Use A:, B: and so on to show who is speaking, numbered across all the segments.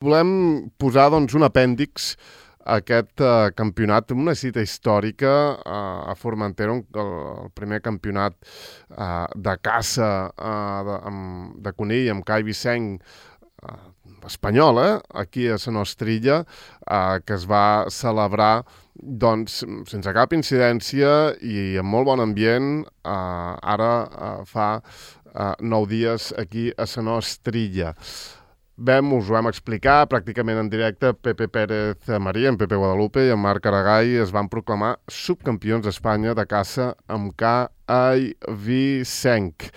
A: Volem posar un apèndix a aquest campionat, una cita històrica a Formentera, el primer campionat de caça de conill amb cai Vicenc espanyol, aquí a la nostra illa, que es va celebrar sense cap incidència i amb molt bon ambient, ara fa 9 dies aquí a la nostra illa. Us ho vam explicar pràcticament en directe. Pepe Pérez María, en Pepe Guadalupe i en Marc Aragall es van proclamar subcampions d'Espanya de caça amb cai Vicenc.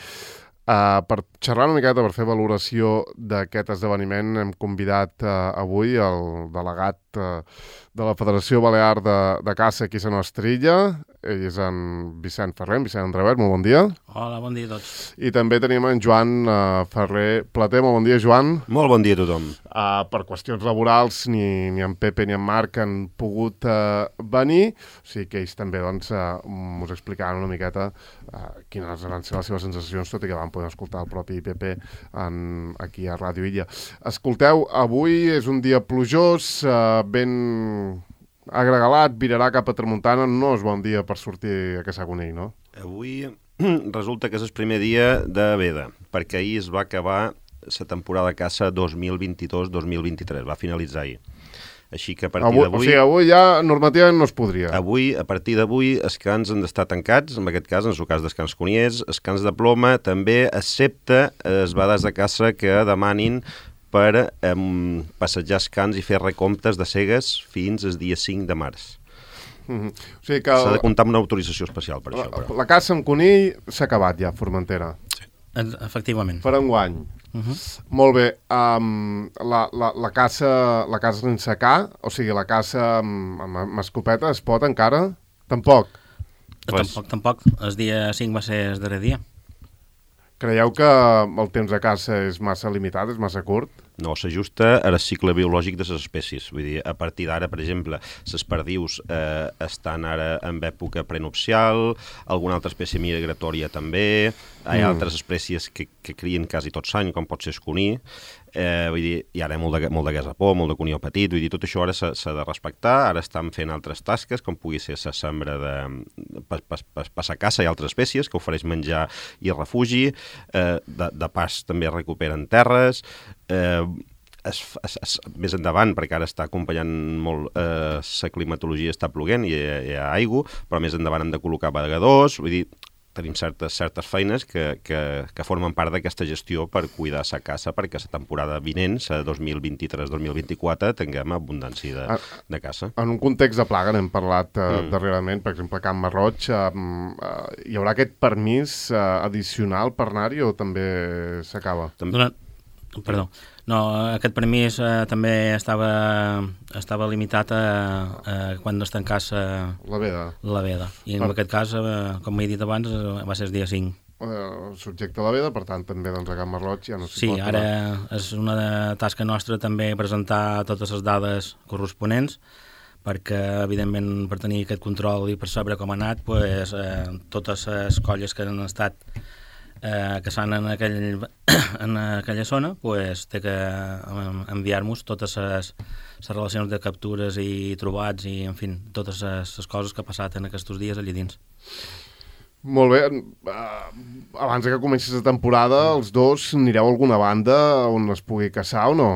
A: Per xerrar una miqueta, per fer valoració d'aquest esdeveniment, hem convidat avui el delegat de la Federació Balear de Caça aquí a la nostra illa. Ell és en Vicent Ferrer, Vicent Andrevert, molt bon dia.
B: Hola, bon dia a tots.
A: I també tenim en Joan Ferrer Plater, molt bon dia, Joan.
C: Molt bon dia a tothom.
A: Per qüestions laborals, ni en Pepe ni en Marc han pogut venir, o sigui que ells també us explicaran una miqueta quines van ser les seves sensacions, tot i que van poder escoltar el propi Pepe aquí a Ràdio Illa. Escolteu, avui és un dia plujós, ben agregalat, virarà cap a tramuntana, no és bon dia per sortir a caçar conill, no?
C: Avui resulta que és el primer dia de veda, perquè ahir es va acabar la temporada de caça 2022-2023, va finalitzar ahir. Així que a partir d'avui...
A: O sigui, avui ja normativament no es podria.
C: Avui, a partir d'avui, els cans han d'estar tancats, en aquest cas, en el cas dels cans coniers, els cans de ploma, també, excepte les bades de caça que demanin per passejar els cans i fer recomptes de cegues fins al dia 5 de març.
A: O sigui que
C: s'ha de comptar amb una autorització especial per això. Però.
A: La caça amb conill s'ha acabat ja, a Formentera.
B: Sí. Efectivament.
A: Per enguany. Molt bé. La caça sense ca, o sigui, la caça amb escopeta es pot encara? Tampoc.
B: Tampoc. El dia 5 va ser el darrer dia.
A: Creieu que el temps de caça és massa limitat, és massa curt?
C: No, s'ajusta al cicle biològic de les espècies. Vull dir, a partir d'ara, per exemple, les perdius estan ara en època prenupcial, alguna altra espècie migratòria també, hi ha altres espècies que crien quasi tot l'any, com pot ser el conill, vull dir, hi ha molt de gasapó, molt de conill petit, vull dir, tot això ara s'ha de respectar, ara estan fent altres tasques, com pugui ser la sembra per la caça i altres espècies, que ofereix menjar i refugi, de pas també recuperen terres, més endavant, perquè ara està acompanyant molt la climatologia, està ploguent i hi ha aigua, però més endavant hem de col·locar vegadors, vull dir, tenim certes feines que formen part d'aquesta gestió per cuidar la caça, perquè la temporada vinent, la 2023-2024, tinguem abundància de caça.
A: En un context de plaga, n'hem parlat darrerament, per exemple, a Can Marroig, hi haurà aquest permís addicional per anar-hi o també s'acaba?
B: Perdó. No, aquest permís també estava limitat a quan es tancés la veda. I en aquest cas, com he dit abans, va ser el dia 5.
A: Subjecte a la veda, per tant, també a Can Marroig ja no s'hi pot.
B: Sí, ara és una tasca nostra també presentar totes les dades corresponents, perquè, evidentment, per tenir aquest control i per saber com ha anat, totes les colles que han estat caçant en aquella zona, té que enviar-nos totes les relacions de captures i trobats i, en fi, totes les coses que ha passat en aquests dies allà dins.
A: Molt bé. Abans que comenci la temporada, els dos anireu a alguna banda on es pugui caçar o no?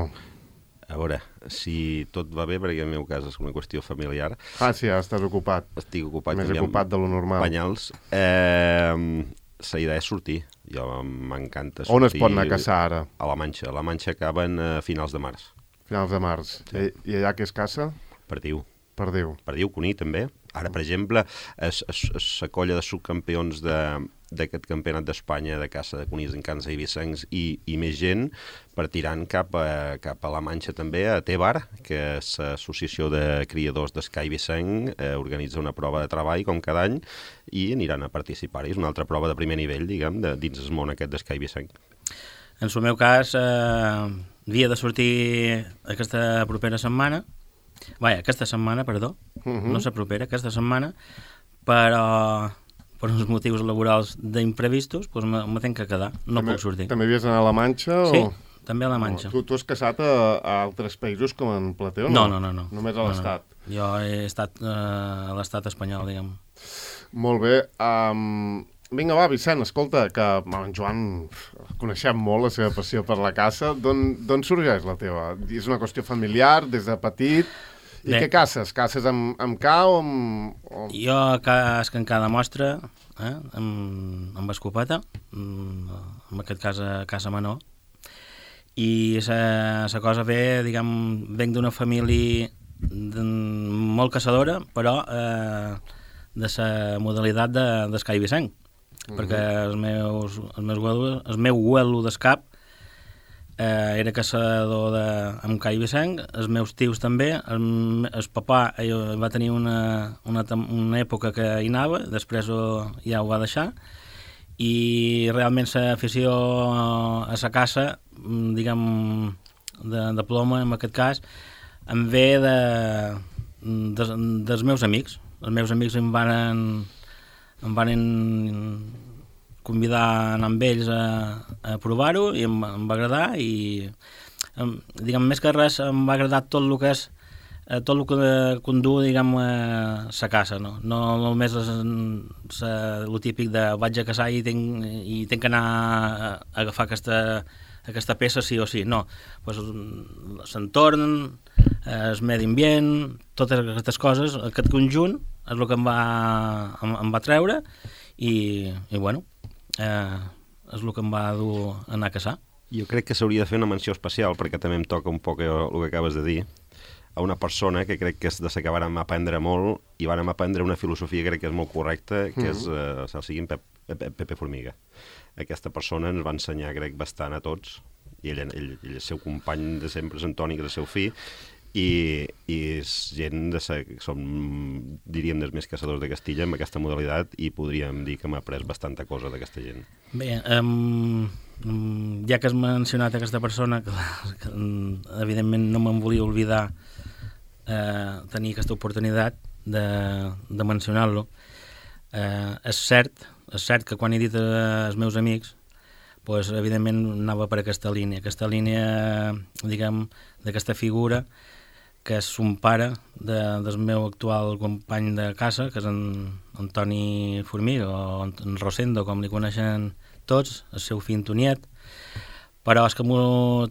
C: A veure, si tot va bé, perquè en el meu cas és una qüestió familiar.
A: Sí, ja estàs ocupat.
C: Estic ocupat.
A: Més ocupat de lo normal.
C: Banyals. La idea és sortir. Jo m'encanta sortir.
A: On es pot anar a caçar ara?
C: A la Manxa. A la Manxa acaben a finals de març.
A: Finals de març. Sí. I allà què es caça?
C: Perdiu.
A: Perdiu,
C: conill també. Ara, per exemple, la colla de subcampions d'aquest campionat d'Espanya de caça de conills en cans i vicencs i més gent partiran cap a la Manxa també, a Tebar, que és l'associació de criadors d'escai vicenc, organitza una prova de treball com cada any i aniran a participar-hi. És una altra prova de primer nivell, diguem, dins el món aquest d'escai vicenc.
B: En el meu cas, havia de sortir aquesta propera setmana, aquesta setmana, no la propera, aquesta setmana, però per uns motius laborals d'imprevistos, m'he de quedar, no puc sortir.
A: També havies d'anar a la Manxa?
B: Sí, també a la Manxa.
A: Tu has casat a altres països com en Plateu,
B: no?
A: No. Només a l'Estat.
B: No. Jo he estat a l'Estat espanyol, diguem.
A: Molt bé. Vinga, va, Vicent, escolta, que en Joan coneixem molt la seva passió per la caça. D'on sorgeix la teva? És una qüestió familiar, des de petit? I què caces? Caces amb ca o amb...
B: Jo casc en cada mostra, amb escopeta, en aquest cas a casa menor. I la cosa ve, diguem, venc d'una família molt caçadora, però de la modalitat d'escai vicenc, perquè el meu abuelo d'escap era caçador amb cai vicenc, els meus tios també, el papà va tenir una època que hi anava, després ja ho va deixar, i realment l'afició a la caça, diguem, de ploma, en aquest cas, em ve dels meus amics. Els meus amics em van convidar a anar amb ells a provar-ho i em va agradar i, diguem, més que res em va agradar tot el que és tot el que condu, diguem, la caça, no només el típic de vaig a caçar i tinc que anar a agafar aquesta peça sí o sí, no, pues, l'entorn, el medi ambient, totes aquestes coses, aquest conjunt és el que em va treure i bueno, és el que em va dur a anar a caçar.
C: Jo crec que s'hauria de fer una menció especial, perquè també em toca un poc el que acabes de dir, a una persona que crec que és de la que vàrem aprendre molt i vàrem aprendre una filosofia que crec que és molt correcta, que és el seguint Pepe Formiga. Aquesta persona ens va ensenyar, crec, bastant a tots, i ell el seu company de sempre és Antoni, que és el seu fill, i és gent som, diríem, dels més caçadors de Castilla amb aquesta modalitat i podríem dir que m'ha après bastanta cosa d'aquesta gent.
B: Bé, ja que has mencionat aquesta persona, que evidentment no me'n volia oblidar tenir aquesta oportunitat de mencionar-lo. És cert que quan he dit als meus amics, pues, evidentment anava per aquesta línia, diguem, d'aquesta figura que és un pare del meu actual company de caça, que és en Antoni Formiga, o en Rosendo, com li coneixen tots, el seu fill Antoniet, però és que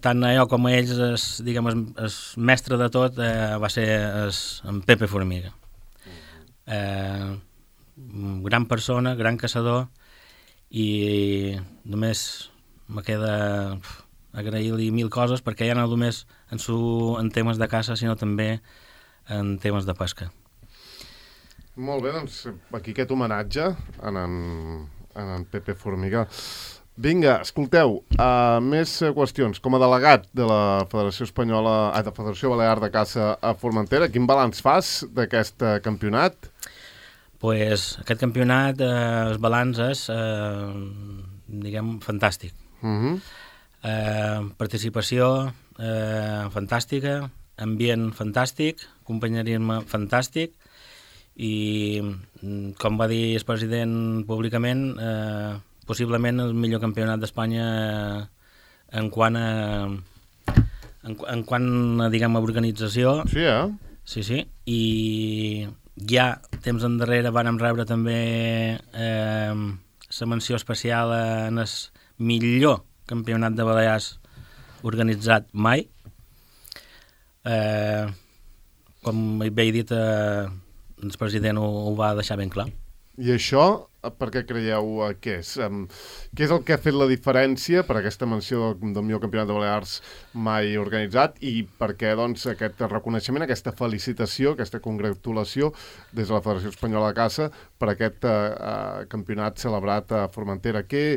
B: tant jo com ells, diguem, el mestre de tot va ser en Pepe Formiga. Gran persona, gran caçador, i només me queda agrair-li mil coses, perquè ja no només en temes de caça, sinó també en temes de pesca.
A: Molt bé, doncs aquí aquest homenatge en en Pepe Formiga. Vinga, escolteu, més qüestions. Com a delegat de la Federació Balear de Caça a Formentera, quin balanç fas d'aquest campionat?
B: Pues aquest campionat, el balanç és, diguem, fantàstic. Participació fantàstica, ambient fantàstic, companyerisme fantàstic i, com va dir el president públicament, possiblement el millor campionat d'Espanya en quant a, diguem, a organització.
A: Sí,
B: Sí, i ja temps endarrere vàrem rebre també la menció especial en el millor campionat de Balears organitzat mai. Com bé he dit, el president ho va deixar ben clar.
A: I això, per què creieu que és? Què és el que ha fet la diferència per aquesta menció del millor campionat de Balears mai organitzat i per què, doncs, aquest reconeixement, aquesta felicitació, aquesta congratulació des de la Federació Espanyola de Caça per aquest campionat celebrat a Formentera? Què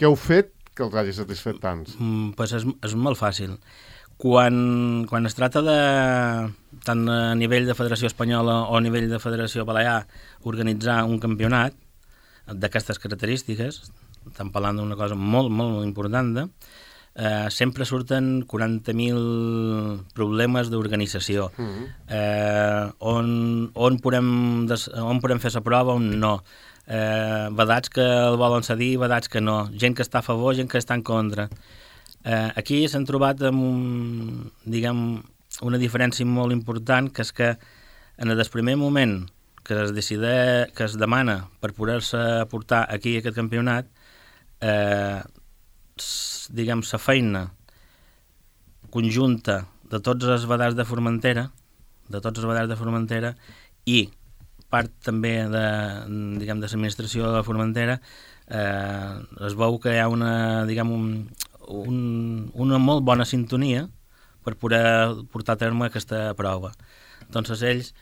A: heu fet que els hagi satisfet tants?
B: Pues és molt fàcil. Quan es tracta de, tant a nivell de Federació Espanyola o a nivell de Federació Balear, organitzar un campionat d'aquestes característiques, estem parlant d'una cosa molt, molt important, sempre surten 40.000 problemes d'organització. On podem fer la prova, on no. Vedats que el volen cedir, vedats que no. Gent que està a favor, gent que està en contra. Aquí s'han trobat amb una diferència molt important, que és que en el primer moment que es demana per poder-se portar aquí aquest campionat, la feina conjunta de tots els badars de Formentera, i part també de l'administració de Formentera, es veu que hi ha una molt bona sintonia per poder portar a terme aquesta prova. Entonces ells,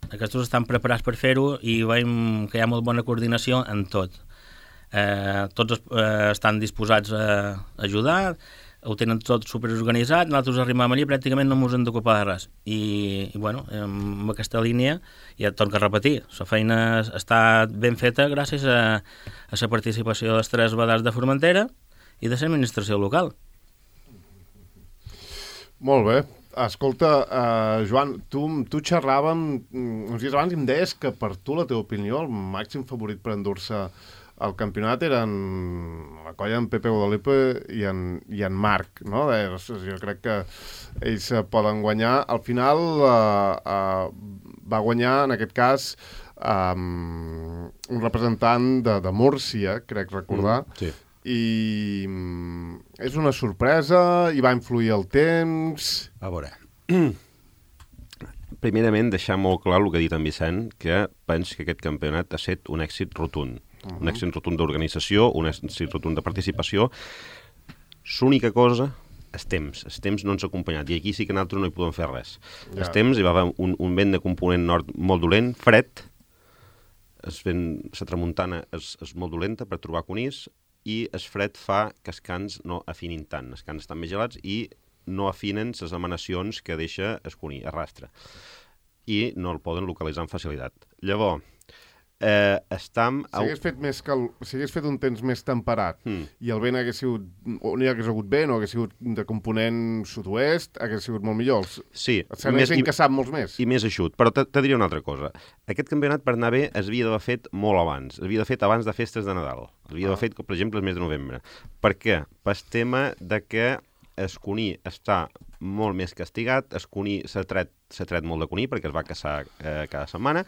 B: aquests estan preparats per fer-ho i veiem que hi ha molt bona coordinació en tot. Tots estan disposats a ajudar, ho tenen tot superorganitzat, nosaltres arribem allà i pràcticament no ens hem d'ocupar de res. I amb aquesta línia, ja torno a repetir, la feina està ben feta gràcies a la participació dels 3 badars de Formentera i de l'administració local.
A: Molt bé. Escolta, Joan, tu xerràvem uns dies abans i em deies que per tu, la teva opinió, el màxim favorit per endur-se el campionat eren la colla en Pepe Guadalupe i en Marc, no? Jo crec que ells poden guanyar. Al final va guanyar, en aquest cas, un representant de Múrcia, crec recordar,
C: sí.
A: I és una sorpresa, i va influir el temps...
C: A veure, primerament deixar molt clar el que ha dit en Vicent, que penso que aquest campionat ha estat un èxit rotund. Un èxit rotund d'organització, un èxit rotund de participació. L'única cosa, el temps no ens ha acompanyat, i aquí sí que nosaltres no hi podem fer res. El temps, hi va haver un vent de component nord molt dolent, fred, la tramuntana és molt dolenta per trobar conills, i el fred fa que els cans no afinin tant, els cans estan més gelats i no afinen les emanacions que deixa el conill, arrastra, i no el poden localitzar amb facilitat. Llavors,
A: si hagués fet un temps més temperat i el vent hagués sigut, o no hi hagués hagut vent, o hagués sigut de component sud-oest, hagués sigut molt millor.
C: Sí.
A: S'hagués encaçat molts més.
C: I més eixut. Però te diria una altra cosa. Aquest campionat, per anar bé, es havia d'haver fet molt abans. Es havia d'haver fet abans de festes de Nadal. Es havia d'haver fet, per exemple, el mes de novembre. Per què? Per tema de que el conill està molt més castigat, el conill s'ha tret molt de conill perquè es va caçar cada setmana,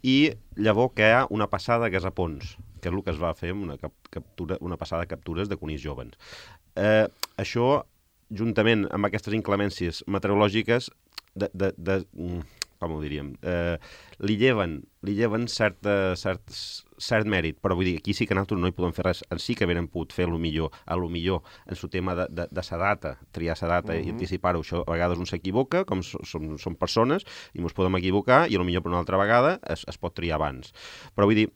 C: i llavors que hi ha una passada que és a Pons, que és el que es va fer amb una passada de captures de conills joves. Això, juntament amb aquestes inclemències meteorològiques, com ho diríem, li lleven cert mèrit, però vull dir, aquí sí que nosaltres no hi podem fer res, sí que haurem pogut fer millor en el tema de sa data, triar sa data i anticipar-ho. Això a vegades un s'equivoca, com som persones, i ens podem equivocar, i potser per una altra vegada es pot triar abans. Però vull dir,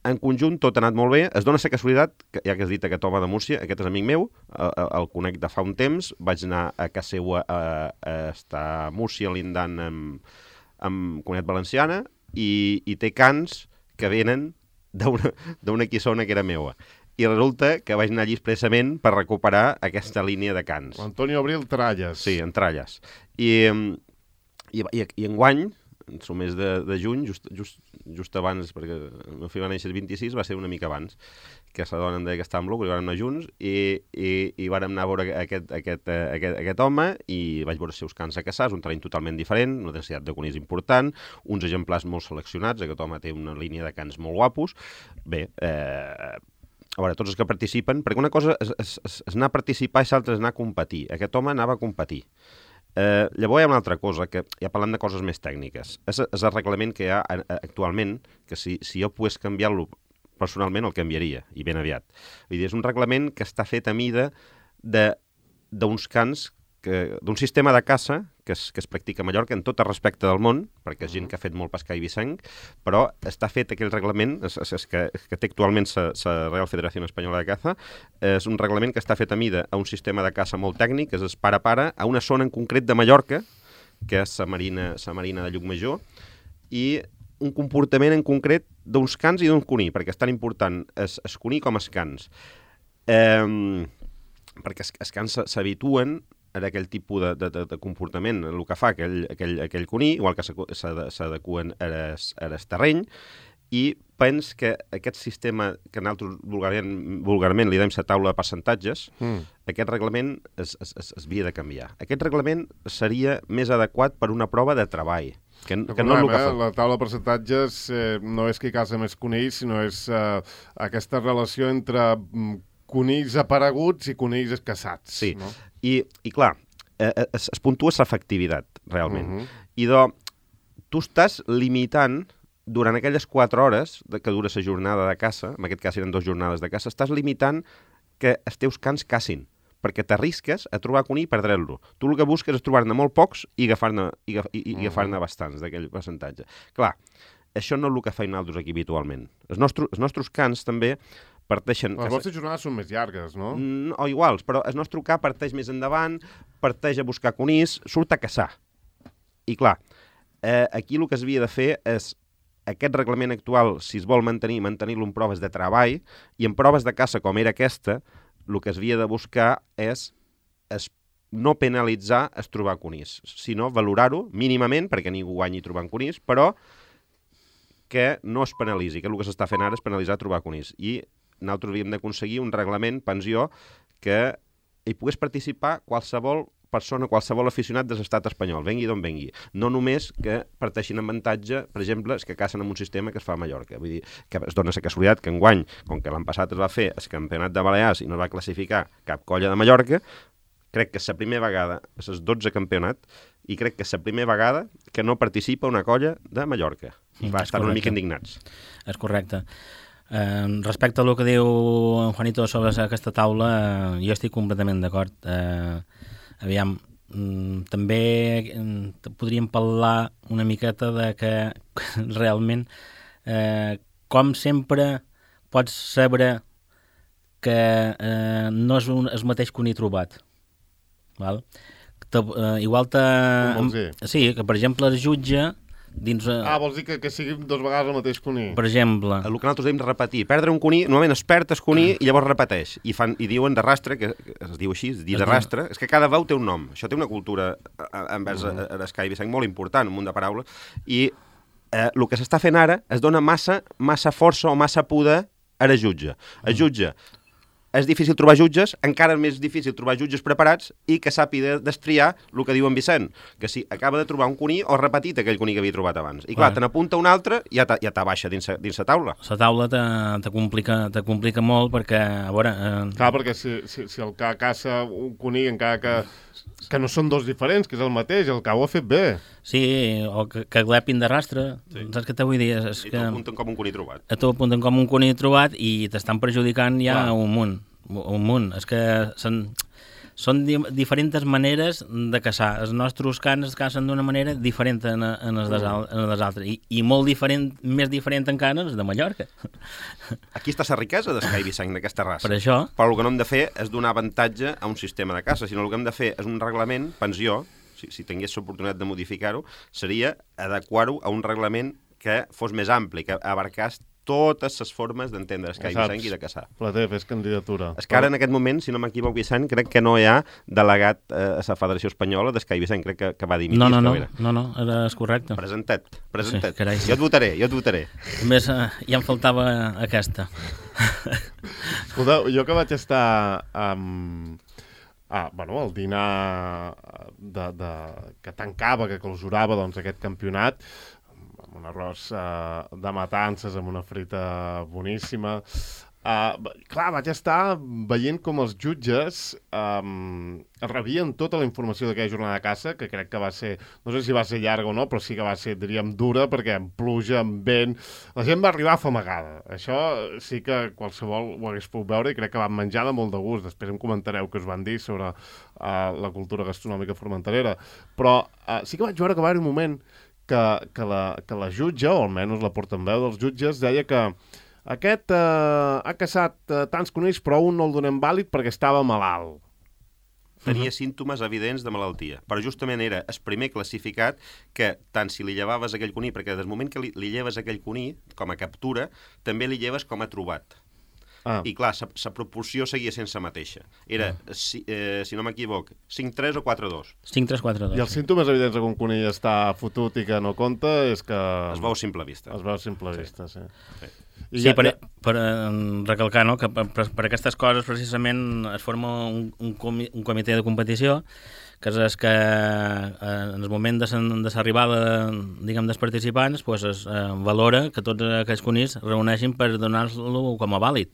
C: en conjunt tot ha anat molt bé. Es dona la casualitat, ja que has dit aquest home de Múrcia, aquest és amic meu, el conec de fa un temps, vaig anar a casa seva a estar a Múrcia lindant amb Comunitat Valenciana, i té cans que venen d'una quissona que era meua. I resulta que vaig anar allí expressament per recuperar aquesta línia de cans.
A: Antonio Abril Tralles.
C: Sí, en Tralles. I enguany, en el mes de juny, just abans, perquè el meu fill va néixer el 26, va ser una mica abans, que la dona em deia que estàvem locos, i vam anar junts, i vam anar a veure aquest home, i vaig veure els seus cans a caçar, és un terreny totalment diferent, una densitat de conills important, uns exemplars molt seleccionats, aquest home té una línia de cans molt guapos. Bé, a veure, tots els que participen, perquè una cosa és anar a participar i l'altra és anar a competir. Aquest home anava a competir. Llavors hi ha una altra cosa, que ja parlant de coses més tècniques. És el reglament que hi ha actualment, que si jo pogués canviar-lo personalment el canviaria, i ben aviat. Vull dir, és un reglament que està fet a mida d'uns cans, d'un sistema de caça que es practica a Mallorca en tot el respecte del món, perquè és gent que ha fet molt pescar i vicenc, però està fet aquell reglament, que té actualment la Real Federació Espanyola de Caza, és un reglament que està fet a mida a un sistema de caça molt tècnic, que és para a una zona en concret de Mallorca, que és la marina de Llucmajor, i un comportament en concret d'uns cans i d'un conill, perquè és tan important el conill com els cans. Perquè els cans s'habituen en aquell tipus de comportament, el que fa aquell conill, igual que s'adequen al terreny, i pens que aquest sistema que nosaltres vulgarment li dèiem la taula de percentatges, aquest reglament es havia de canviar. Aquest reglament seria més adequat per una prova de treball, que no és el que fa.
A: La taula de percentatges no és qui casa més conills, sinó és aquesta relació entre conills apareguts i conills escassats.
C: Sí,
A: no?
C: I clar, es puntua l'efectivitat, realment. I tu estàs limitant durant aquelles 4 hores que dura la jornada de caça, en aquest cas eren 2 jornades de caça, estàs limitant que els teus cans cacin, perquè t'arrisques a trobar conill i perdre-lo. Tu el que busques és trobar-ne molt pocs i agafar-ne bastants d'aquell percentatge. Clar, això no és el que feim nosaltres aquí habitualment. Els nostres cans també parteixen...
A: Les vostres jornades són més llargues, no?
C: O iguals, però el nostre ca parteix més endavant, parteix a buscar conills, surt a caçar. I clar, aquí el que s'havia de fer és aquest reglament actual, si es vol mantenir-lo en proves de treball, i en proves de caça com era aquesta, el que s'havia de buscar és no penalitzar es trobar conills, sinó valorar-ho mínimament, perquè ningú guanyi trobant conills, però que no es penalitzi, que el que s'està fent ara és penalitzar trobar conills. I nosaltres havíem d'aconseguir un reglament, pensió, que hi pogués participar qualsevol persona, qualsevol aficionat de l'estat espanyol, vengui d'on vengui. No només que parteixin en avantatge, per exemple, els que cacen en un sistema que es fa a Mallorca. Vull dir, que es dona la casualitat que enguany, com que l'any passat es va fer el campionat de Balears i no es va classificar cap colla de Mallorca, crec que és la primera vegada, és el 12 campionat, i crec que és la primera vegada que no participa una colla de Mallorca. I va estar una mica indignats.
B: És correcte. Respecte a el que diu en Juanito sobre aquesta taula, jo estic completament d'acord. Aviam, també podríem parlar una miqueta de que realment, com sempre, pots saber que no és el mateix que un hi trobat. Val? Igual
A: Com vols dir?
B: Sí, que per exemple el jutge dins...
A: vols dir que sigui 2 vegades el mateix conill?
B: Per exemple...
C: El que nosaltres hem de repetir, perdre un conill, normalment es perd el conill i llavors repeteix. I diuen de rastre, que es diu així, dir de rastre, és que cada veu té un nom. Això té una cultura envers l'Escai Vicent molt important, un munt de paraules, i el que s'està fent ara es dona massa força o massa poder a la jutge. El jutge és difícil trobar jutges, encara més difícil trobar jutges preparats i que sàpiga destriar el que diu en Vicent, que si acaba de trobar un conill o repetit aquell conill que havia trobat abans. I clar, te n'apunta un altre i ja t'abaixa dins la taula.
B: La taula te complica molt perquè, a veure...
A: Clar, perquè si el que caça un conill encara que no són 2 diferents, que és el mateix, el que ho ha fet bé.
B: Sí, o que glepin de rastre, saps què t'ho vull dir?
C: I t'apunten com un conill trobat.
B: T'apunten com un conill trobat i t'estan perjudicant ja un munt. És que són diferents maneres de caçar. Els nostres cans es cacen d'una manera diferent en les altres. I molt diferent, més diferent encara els de Mallorca.
C: Aquí està la riquesa d'Escai Vicent, d'aquesta raça.
B: Per això...
C: Però el que no hem de fer és donar avantatge a un sistema de caça, sinó el que hem de fer és un reglament, pensió, si tingués l'oportunitat de modificar-ho, seria adequar-ho a un reglament que fos més ampli, que abarcés totes les formes d'entendre Escai Vicent i de caçar.
A: Plater, fes candidatura.
C: És que ara, en aquest moment, si no m'equivoco, Vicent, crec que no hi ha delegat a la Federació Espanyola d'Escai Vicent, crec que va dimitir.
B: No, és correcte.
C: Presenta't.
B: Sí, carai, sí.
C: Jo et votaré.
B: A més, ja em faltava aquesta.
A: Escolteu, jo que vaig estar al dinar que tancava, que clausurava aquest campionat, amb un arròs de matances, amb una frita boníssima. Clar, vaig estar veient com els jutges rebien tota la informació d'aquella jornada de caça, que crec que va ser, no sé si va ser llarga o no, però sí que va ser, diríem, dura, perquè amb pluja, amb vent, la gent va arribar afamagada. Això sí que qualsevol ho hagués pogut veure i crec que van menjar de molt de gust. Després em comentareu què us van dir sobre la cultura gastronòmica formenterera. Però sí que vaig veure que va haver un moment que la jutge, o almenys la portaveu dels jutges, deia que aquest ha caçat tants conills, però un no el donem vàlid perquè estava malalt.
C: Tenia símptomes evidents de malaltia, però justament era el primer classificat que, tant si li llevaves aquell conill, perquè des del moment que li lleves aquell conill, com a captura, també li lleves com a trobat. I clar, la proporció seguia sense mateixa. Era, si no m'equivoc, 5-3 o 4-2.
B: 5-3-4-2.
A: I els símptomes evidents que un conill està fotut i que no compta és que...
C: Es veu a simple vista.
A: Es veu a simple vista, sí.
B: Sí, per recalcar, no?, que per aquestes coses precisament es forma un comitè de competició, que és que en el moment de l'arribada, diguem, dels participants, pues es valora que tots aquells conills reuneixin per donar-lo com a vàlid.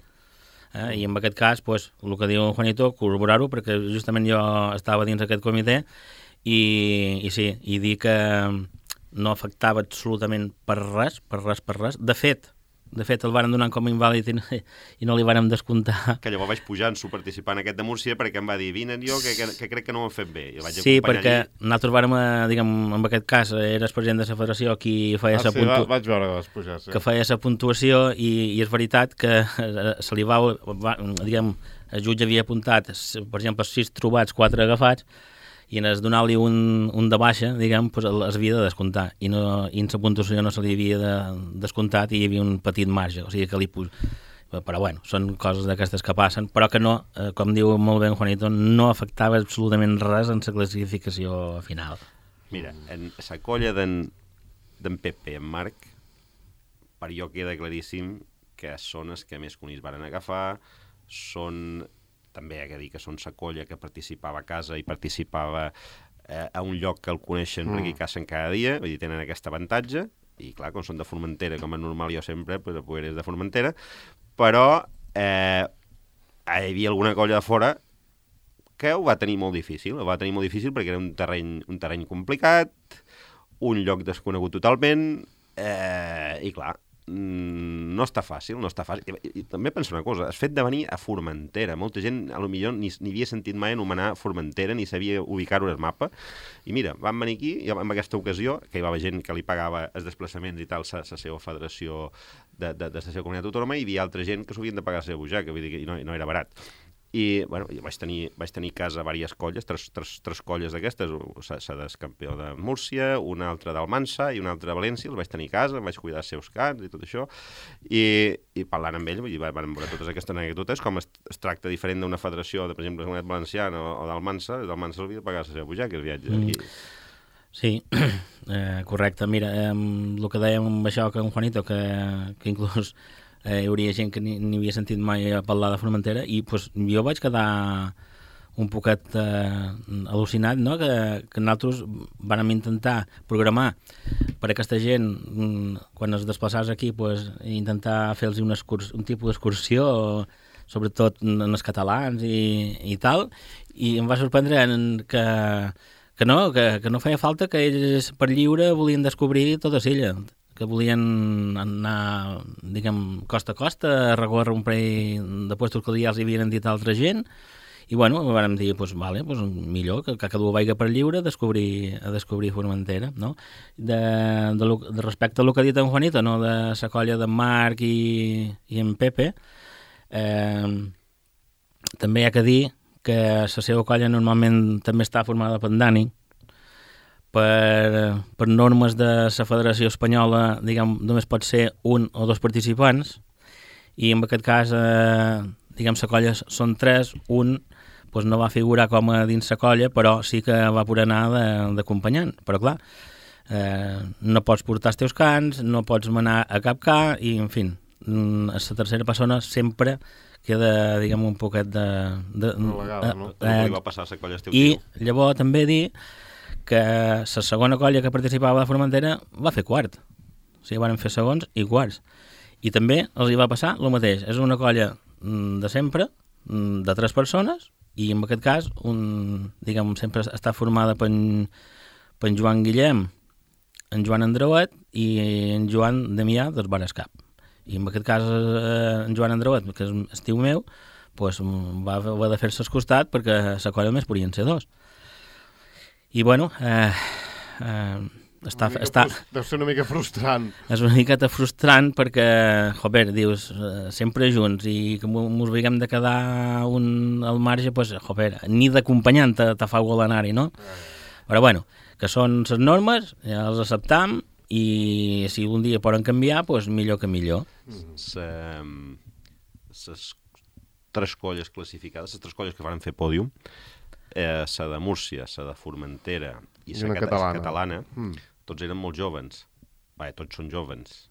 B: I en aquest cas, pues, el que diu Juanito, corroborar-ho, perquè justament jo estava dins aquest comitè i sí, i dir que no afectava absolutament per res. De fet, el varen donar com a invàlid i no li vàrem descomptar.
C: Que llavors vaig pujar en su participant aquest de Múrcia perquè em va dir, vine jo, que crec que no ho hem fet bé. I vaig
B: sí, perquè nosaltres vàrem, diguem, en aquest cas, era el president de la federació qui feia la puntuació.
A: Vaig veure que vas pujar, sí.
B: Que feia la puntuació i és veritat que se li va, diguem, el jutge havia apuntat, per exemple, 6 trobats, 4 agafats, i en es donar-li un de baixa, diguem, pues es havia de descomptar, i en la puntuació no se li havia de descomptat i hi havia un petit marge, o sigui que però bueno, són coses d'aquestes que passen, però que no, com diu molt bé en Juanito, no afectava absolutament res en la classificació final.
C: Mira, en la colla d'en Pepe i en Marc, per jo queda claríssim que són els que més conills varen agafar, són... També hi ha que dir que són la colla que participava a casa i participava a un lloc que el coneixen perquè hi cacen cada dia, vull dir, tenen aquest avantatge, i clar, com són de Formentera, com és normal jo sempre, pues eres de Formentera, però hi havia alguna colla de fora que ho va tenir molt difícil, perquè era un terreny complicat, un lloc desconegut totalment, i clar, no està fàcil. I també penso una cosa, el fet de venir a Formentera, molta gent potser ni havia sentit mai anomenar Formentera, ni sabia ubicar-ho al mapa, i mira, van venir aquí, i en aquesta ocasió, que hi va haver gent que li pagava els desplaçaments i tal, la seva federació de la seva comunitat autònoma, i hi havia altra gent que s'ho havien de pagar la seva butxaca, vull dir que no era barat. I bueno, vaig tenir a casa diverses colles, tres colles d'aquestes, la del campió de Múrcia, una altra d'Almansa i una altra de València, els vaig tenir a casa, em vaig cuidar els seus cans i tot això, i parlant amb ells, vull dir, vam veure totes aquestes anècdotes, com es tracta diferent d'una federació, per exemple, de la Comunitat Valenciana o d'Almansa, havia de pagar la seva butxaca, el viatge.
B: Sí, correcte. Mira, el que dèiem amb això que en Juanito, que inclús hi hauria gent que ni havia sentit mai a parlar de Formentera, i pues, jo vaig quedar un poquet al·lucinat, no?, que nosaltres vàrem intentar programar per a aquesta gent, quan es desplaçàs aquí, pues, intentar fer-los un tipus d'excursió, sobretot en els catalans i tal, i em va sorprendre que no feia falta, que ells per lliure volien descobrir tota l'illa, que volien anar, diguem, costa a costa, a recórrer un parell de puestos que ja els havien dit altra gent, i bueno, vam dir, pues, vale, pues, millor que cada un vagi per lliure a descobrir Formentera, no? Respecte al que ha dit en Juanito, no?, de la colla d'en Marc i en Pepe, també hi ha que dir que la seva colla normalment també està formada per Dani, per normes de la Federació Espanyola, diguem, només pot ser un o dos participants, i en aquest cas, diguem, la colla són 3, un doncs no va figurar com a dins la colla, però sí que va poder anar d'acompanyant. Però clar, no pots portar els teus cants, no pots manar a cap ca, i en fi, la tercera persona sempre queda, diguem, un poquet
C: relegada, no? Li va passar a la colla esteu tio.
B: I llavors també dir que la segona colla que participava de Formentera va fer quart. O sigui, van fer segons i quarts. I també els hi va passar el mateix. És una colla de sempre, de 3 persones, i en aquest cas, diguem, sempre està formada per en Joan Guillem, en Joan Andreuet i en Joan Damià dels Barescap. I en aquest cas, en Joan Andreuet, que és estiu meu, doncs va haver de fer-se al costat perquè la colla només podien ser 2. I bueno,
A: deu ser una mica frustrant.
B: És una miqueta frustrant perquè, joder, dius, sempre junts, i que mos veiem de quedar un al marge, pues, joder, ni d'acompanyant te fa gol anar-hi, no? Però bueno, que són les normes, ja les acceptam, i si un dia poden canviar, pues millor que millor.
C: Les 3 colles classificades, les 3 colles que van fer pòdium, la de Múrcia, la de Formentera i la catalana, tots eren molt jovens. Tots són jovens.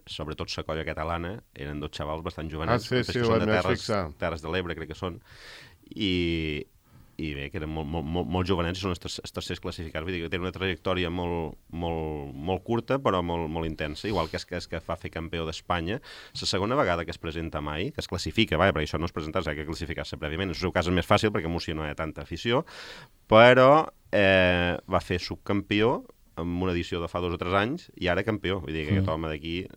C: sobretot la colla catalana, eren 2 xavals bastant jovenets,
A: sí,
C: que són de Terres de l'Ebre, crec que són, i bé, que eren molt jovenets i són els tercers classificats, vull dir que tenen una trajectòria molt curta però molt intensa, igual que és que fa fer campió d'Espanya, la segona vegada que es presenta mai, que es classifica, perquè això no es presenta, s'ha que classificar-se prèviament, en el seu cas és més fàcil perquè Múrcia no hi ha tanta afició, però va fer subcampió en una edició de fa 2 o 3 anys i ara campió, vull dir que aquest home d'aquí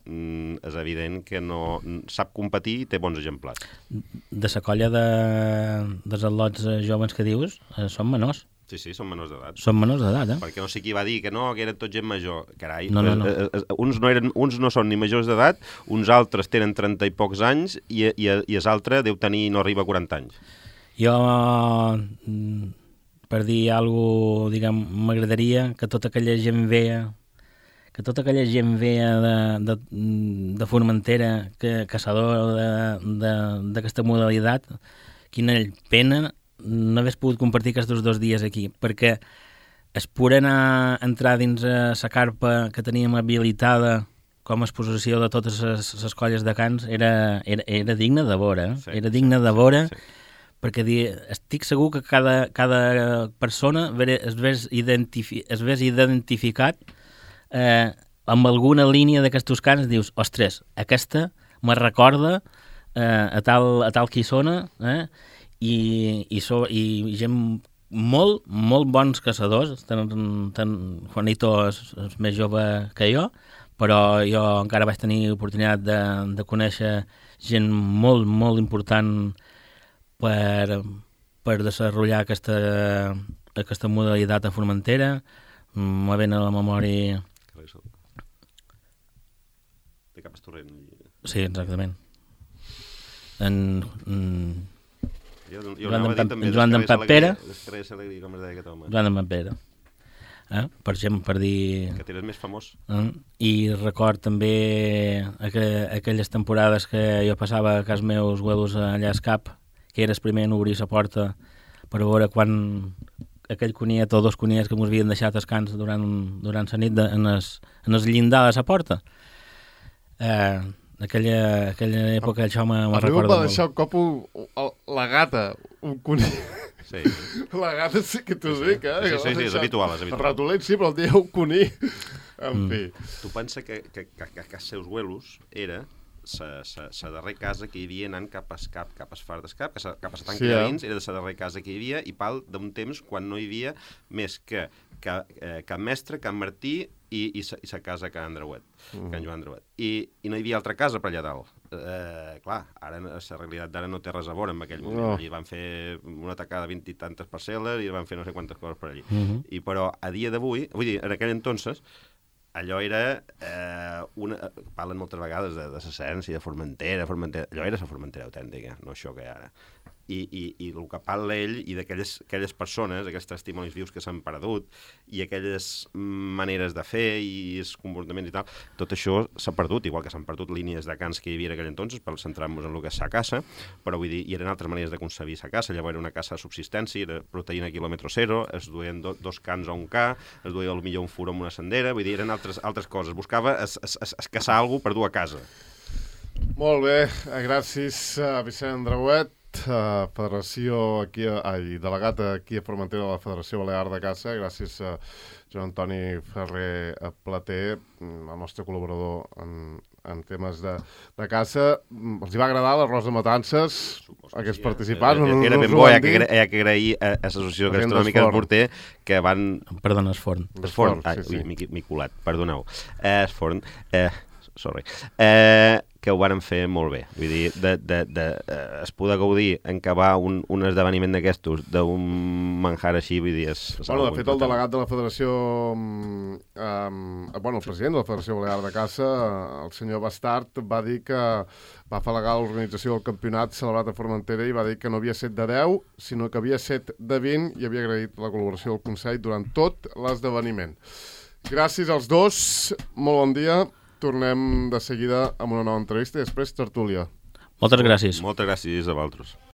C: és evident que no sap competir i té bons exemplars.
B: De la colla dels atlots joves que dius, són menors.
C: Sí, són menors d'edat.
B: Són menors d'edat,
C: Perquè no sé qui va dir que no, que eren tot gent major. Carai,
B: no.
C: Uns no són ni majors d'edat, uns altres tenen 30 i pocs anys i els altres deu tenir, no arriba a 40 anys.
B: Jo, per dir alguna cosa, diguem, m'agradaria que tota aquella gent vea de Formentera, caçador d'aquesta modalitat, quina pena no hagués pogut compartir aquests 2 dies aquí, perquè es poder entrar dins la carpa que teníem habilitada com a exposició de totes les colles de cants era digne de veure, era digne de veure, perquè estic segur que cada persona es vés identificat amb alguna línia d'aquests cants, dius, ostres, aquesta me recorda a tal Quissona, i gent molt bons caçadors, Juanito és més jove que jo, però jo encara vaig tenir oportunitat de conèixer gent molt important per desenvolupar aquesta modalitat a Formentera. Me ven a la memòria...
C: De cap Estorrent.
B: Sí, exactament. Joan d'en Pere. Joan d'en Pere. Per exemple, per dir...
C: Que tens més famós.
B: I record també aquelles temporades que jo passava a casa meus huelos allà a Escap, que eres primer en obrir la porta per veure quan aquell coniet o 2 coniets que ens havien deixat escans durant la nit en el llindar de la porta. Aquella època això me recorda molt.
A: Va deixar un cop la gata, un conill.
C: Sí.
A: La gata sí que t'ho dic,
C: Sí, és habitual.
A: El ratolent sí, però el dia un conill. En fi.
C: Tu pensa que els seus huelos era la darrera casa que hi havia anant cap a Escap, cap a Esfar d'Escap, cap a la tanca de Vins, era la darrera casa que hi havia, i pal d'un temps quan no hi havia més que Can Mestre, Can Martí i la casa Can Andreuet, Can Joan Andreuet. I no hi havia altra casa per allà dalt. Clar, ara la realitat d'ara no té res a veure en aquell moment. Allí van fer una tacada de 20 i tantes parcel·les i van fer no sé quantes coses per allí. Però a dia d'avui, vull dir, en aquell entonces, allò era, parlen moltes vegades de l'essència, de Formentera, allò era la Formentera autèntica, no això que hi ha ara. I el que parla ell i d'aquelles persones, aquells testimonis vius que s'han perdut i aquelles maneres de fer i els comportaments i tal, tot això s'ha perdut, igual que s'han perdut línies de cants que hi havia en aquell entonces per centrar-nos en el que és sa caça, però vull dir, hi eren altres maneres de concebir sa caça. Llavors era una caça de subsistència, era proteïna quilòmetre zero, es duien 2 cans a un ca, es duia potser un furó amb una sendera, vull dir, eren altres coses. Buscava es caçar alguna cosa per dur a casa.
A: Molt bé, gràcies Vicent Andreuet, federació aquí, delegat aquí a Formentera de la Federació Balear de Caça. Gràcies a Joan Antoni Ferrer Plater, el nostre col·laborador en temes de caça. Els hi va agradar l'arròs de matances, aquests participants?
C: Era ben bo, hi ha que agrair a l'Associació Gastronòmica de Porter que van...
B: Perdona, Esforn.
C: Esforn, m'he colat, perdoneu. Esforn, sorry. Que ho varen fer molt bé. Vull dir, es poder gaudir en acabar un esdeveniment d'aquestos d'un manjar així, vull dir...
A: Bueno, de fet, el delegat de la Federació... el president de la Federació Balear de Caça, el senyor Bastard, va dir que va afalagar l'organització del campionat celebrat a Formentera i va dir que no havia set de 10, sinó que havia set de 20 i havia agraït la col·laboració del Consell durant tot l'esdeveniment. Gràcies als dos, molt bon dia. Tornem de seguida amb una nova entrevista i després tertúlia.
B: Moltes gràcies.
C: Moltes gràcies a vosaltres.